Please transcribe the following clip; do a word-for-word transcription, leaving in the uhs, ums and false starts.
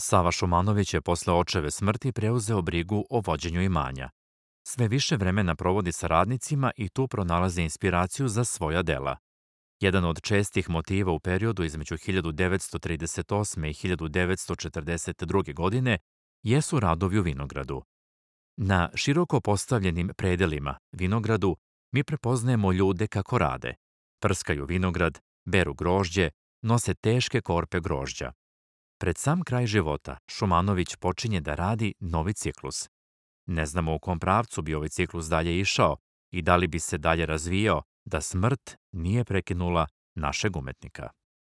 Sava Šumanović je posle očeve smrti preuzeo brigu o vođenju imanja. Sve više vremena provodi sa radnicima i tu pronalazi inspiraciju za svoja dela. Jedan od čestih motiva u periodu između hiljadu devetsto trideset osme. i hiljadu devetsto četrdeset druge. godine jesu radovi u vinogradu. Na široko postavljenim predelima vinogradu mi prepoznajemo ljude kako rade. Prskaju vinograd, beru grožđe, nose teške korpe grožđa. Pred sam kraj života Šumanović počinje da radi novi ciklus. Ne znamo u kom pravcu bi ovaj ciklus dalje išao i da li bi se dalje razvijao da smrt nije prekinula našeg umetnika.